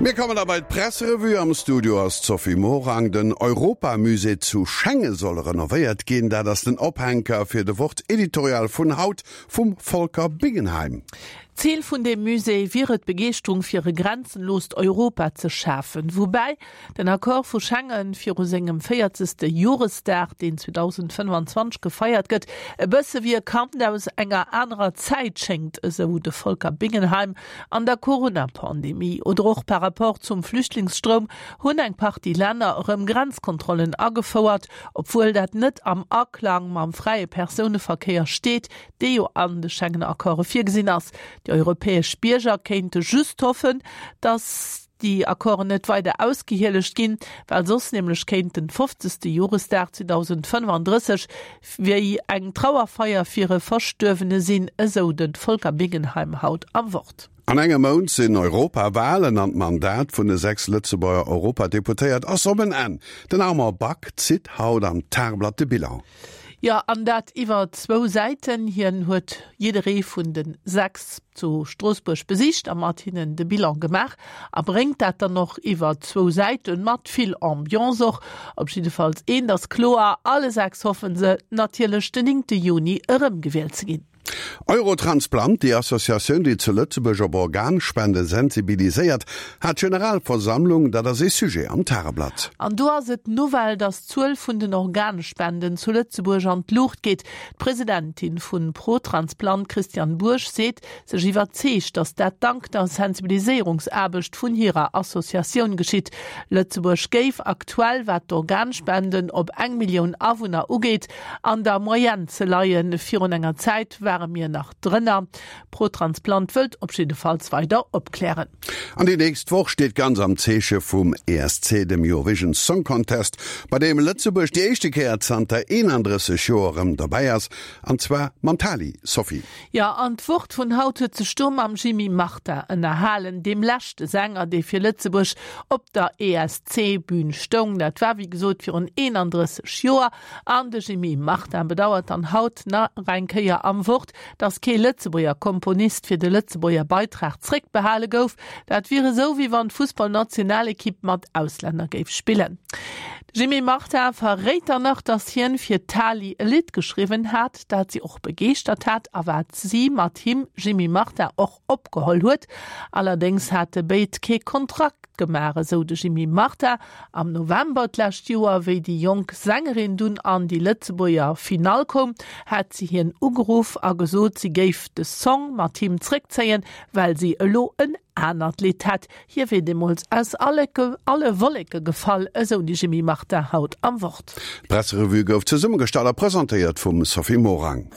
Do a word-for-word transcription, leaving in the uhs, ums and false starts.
Mir kommen da bei d'Presserevue. Am Studio ass d'Sophie Morang. Den Europamusée zu Schengen soll renovéiert ginn. Dat ass den Ophänker fir de Wort-Editorial vun haut vum Volker Bingenheim. Zil vun dem Musée wier et Begeeschterung fir e grenzenloost Europa ze schafen. Woubäi den Accord vu Schengen viru sengem véierzegste Joresdag, deen zweedausendfënnfanzwanzeg gefeiert gëtt, e bësse wéi e Kand aus enger anerer Zäit schéngt, esou de Volker Bingenheim. An der Corona-Pandemie oder och par rapport zum Flüchtlingsstroum hunn eng Partie Länner erëm Grenzkontrollen agefouert, obwuel dat net am Aklang mam fräie Persouneverkéier steet, dee jo an de Schengen-Accorde virgesinn ass. Déi europäesch Bierger kéinte just hoffen, datt déi Accorden net weider ausgehielegt ginn, well soss nämlech kéint den fofzegste Joresdag zweedausendfënnfanddrësseg wéi eng Trauerfeier fir e Verstuerwene sinn, esou de Volker Bingenheim haut am Wort. An engem Mount sinn Europawalen an d'Mandat vun de sechs Lëtzebuerger Europadeputéiert ass op en Enn. Den Armand Back zitt haut am Tageblatt de Bilan. Jo, an dat iwwer zwou Säiten. Hien huet jidderee vun de sechs zu Stroossbuerg besicht a mat hinnen de Bilan gemaach a bréngt dat dann och iwwer zwou Säiten, mat vill Ambiance och. Op jiddefalls eent ass kloer, alle sechs hoffen se natierlech den néngte Juni erëmgewielt ze ginn. Eurotransplant, déi Associatioun, déi zu Lëtzebuerg op Organspende sensibiliséiert, hat Generalversammlung. Dat ass ee Sujet am Tageblatt. An do ass et d'Nouvelle, datt d'Zuel vun den Organspenden zu Lëtzebuerg an d'Luucht geet. D'Presidentin vun Protransplant, Christiane Bourg, seet sech iwwerzeegt, datt dat dank der Sensibiliséierungsaarbecht vun hirer Associatioun geschitt. Lëtzebuerg géif aktuell, wat d'Organspenden op eng Millioun Awunner ugeet, an der Moyenne ze leien. Virun enger Zäit ware mir nach drënner. Protransplant wëllt op jiddefalls weider opklären. An déi nächst Woch steet ganz am Zeeche vum E S C, dem Eurovision Song Contest, bei deem Lëtzebuerg déi éischte Kéier zanter eenandrësseg Joer erëm dobäi ass, an zwar mam Tali, Sophie. Jo, an d'Wort vun haut huet sech do mam Jimmy Martin ënnerhalen, deem leschte Sänger, dee fir Lëtzebuerg op der E S C-Bün stoung. Dat war wéi gesot virun eenandrësseg Joer. An de Jimmy Martin bedauert dann haut nach eng Kéier am Wort, datt kee Lëtzebuerger Komponist fir de Lëtzebuerger Beitrag zréckbehale gouf. Dat wier esou, wéi wann d'Fussballnationalekipp mat Auslänner géif spillen. De Jimmy Martin verréit dann nach, datt hien fir d'Tali e Lidd geschriwwen hat, dat si och begeeschtert hat a wat si mat him, Jimmy Martin, och opgeholl huet. Allerdéngs hate béid kee Kontrakt gemaach, esou de Jimmy Martin. Am November d'lescht Joer, wéi déi jonk Sängerin dunn an déi Lëtzebuerger Finall koum, hat si hien ugeruff a gesot, si géif de Song mat him zréckzéien, well si elo en anert Lidd hätt. Hie wier deemools aus alle Wolleke gefall, esou de Jimmy Martin haut am Wort. D'Presserevue gouf zesummegestallt a presentéiert vum Sophie Morang.